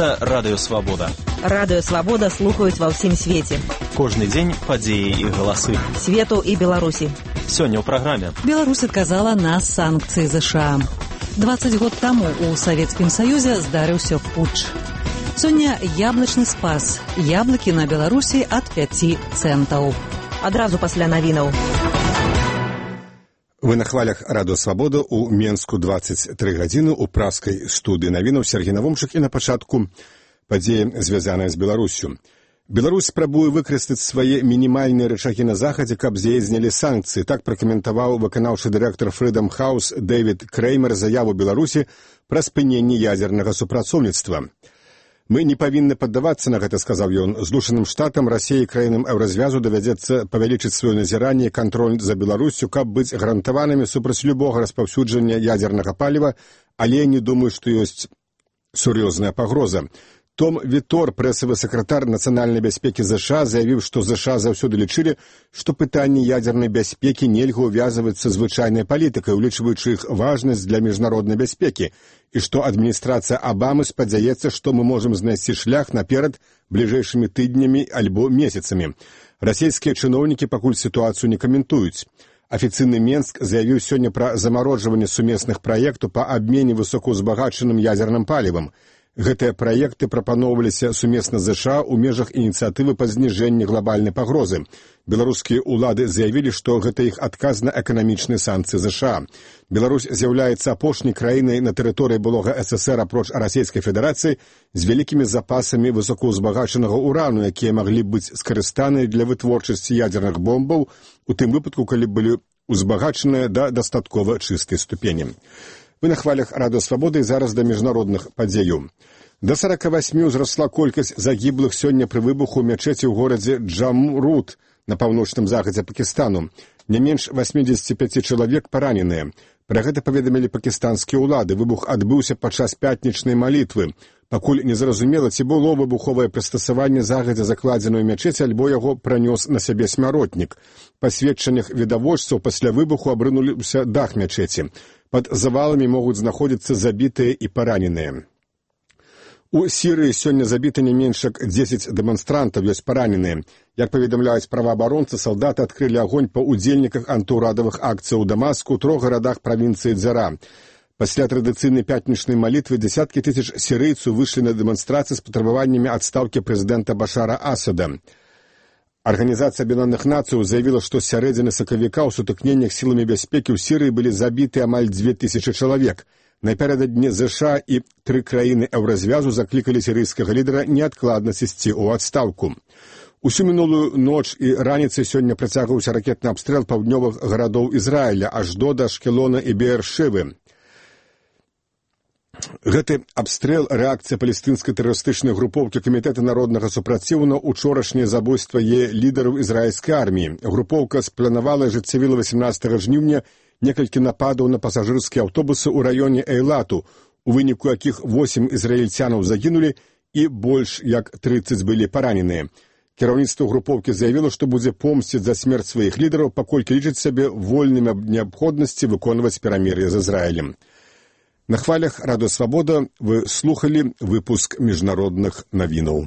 Гэта Радыё Свабода. Радыё Свабода слухаюць ва ўсім свеце. Кожны дзень падзеі і галасы. Свету і Беларусі. Сёння ў праграме. Беларусь адказала на санкцыі ЗША. 20 год таму ў Савецкім Саюзе здарыўся путч. Сёння яблычны спас. Яблыкі на Беларусі ад 5 цэнтаў. Адразу пасля навінаў. Вы на хвалях Радыё Свабода ў Менску 23 гадзіны ў праскай студыі навінаў Сергей Навомчык і на пачатку падзеі, звязаныя з Беларуссю. Беларусь спрабуе выкарыстаць свае мінімальныя рычагі на захадзе, каб з яе знялі санкцыі. Так пракаментаваў выканаўчы дырэктар Freedom House Дэвід Крэймер заяву Беларусі пра спыненне ядзернага супрацоўніцтва. «Мы не павінны паддавацца на гэта», — сказаў ён. «Злучаным штатам, Расіі і краінам Еўразвязу давядзецца павялічыць сваё назіранне і кантроль за Беларуссю, каб быць гарантаванымі супраць любога распаўсюджання ядзернага паліва, але я не думаю, што ёсць сур'ёзная пагроза». Том Вітор, прэсавы сакратар нацыянальнай бяспекі ЗША, заявіў, што ЗША заўсёды лічылі, што пытанні ядзернай бяспекі нельга ўвязваць са звычайнай палітыкай, улічваючы іх важнасць для міжнароднай бяспекі, і што адміністрацыя Абамы спадзяецца, што мы можам знайсці шлях наперад бліжэйшымі тыднямі альбо месяцамі. Расійскія чыноўнікі пакуль сітуацыю не каментуюць. Афіцыйны Менск заявіў сёння пра замарожванне сумесных праектаў па абмене высокаўзбагачаным ядзерным палівам. Гэтыя праекты прапаноўваліся сумесна з ЗША ў межах ініцыятывы па зніжэнні глабальнай пагрозы. Беларускія ўлады заявілі, што гэта іх адказ на эканамічныя санкцыі ЗША. Беларусь з'яўляецца апошняй краінай на тэрыторыі былога ССР апроч Расійскай Федэрацыі з вялікімі запасамі высокаўзбагачанага урану, якія маглі быць скарыстаныя для вытворчасці ядзерных бомбаў, у тым выпадку, калі былі ўзбагачаныя да дастаткова чыстай ступені. Вы на хвалях Радыё Свабоды і зараз да міжнародных падзеяў. Да 48 узрасла колькасць загіблых сёння пры выбуху ў мячэці ў горадзе Джамрут на паўночным захадзе Пакістану. Не менш 85 чалавек параненыя. Пра гэта паведамілі пакістанскія ўлады. Выбух адбыўся падчас пятнічнай малітвы. Пакуль незразумела, ці было выбуховае прыстасаванне загадзя закладзенае ў мячэці, альбо яго пранёс на сябе смяротнік. Па сведчаннях відавочцаў, пасля выбуху абрынуліся дах мячэці. Пад заваламі могуць знаходзіцца забітыя і параненыя. У Сірыі сёння забіты не менш як 10 дэманстрантаў, ёсць параненыя. Як паведамляюць праваабаронцы, салдаты адкрылі агонь па ўдзельніках антыўрадавых акцыяў у Дамаску ў 3 гарадах правінцыі Дзара. Пасля традыцыйнай пятнічнай малітвы дзесяткі тысяч сірыйцаў выйшлі на дэманстрацыі з патрабаваннямі адстаўкі прэзідэнта Башара Асада. Арганізацыя Аб'яднаных Нацыяў заявіла, што з сярэдзіны сакавіка ў сутыкненнях сіламі бяспекі ў Сірыі былі забіты амаль 2000 чалавек. Напярэдадні ЗША і 3 краіны Еўразвязу заклікалі сірыйскага лідара неадкладна сысці ў адстаўку. Усю мінулую ноч і раніцай сёння працягваўся ракетны абстрэл паўднёвых гарадоў Ізраіля, Ашдода, Ашкелона і Беэршевы. Гэты абстрэл — рэакцыя палестынскай тэрарыстычнай групоўкі Камітэта народнага супраціўу на учорашняе забойства лідараў ізраільскай арміі. Групоўка спланавала і ажыццявіла 18 жніўня некалькі нападаў на пасажырскія аўтобусы ў раёне Эйлату, у выніку якіх 8 ізраільцянаў загінулі і больш як 30 былі параненыя. Кіраўніцтва групоўкі заявіла, што будзе помсціць за смерць сваіх лідараў, паколькі лічыць сябе вольным ад неабходнасці выконваць перамір'е з Ізраілем. На хвалях Радыё Свабода вы слухалі выпуск міжнародных навінаў.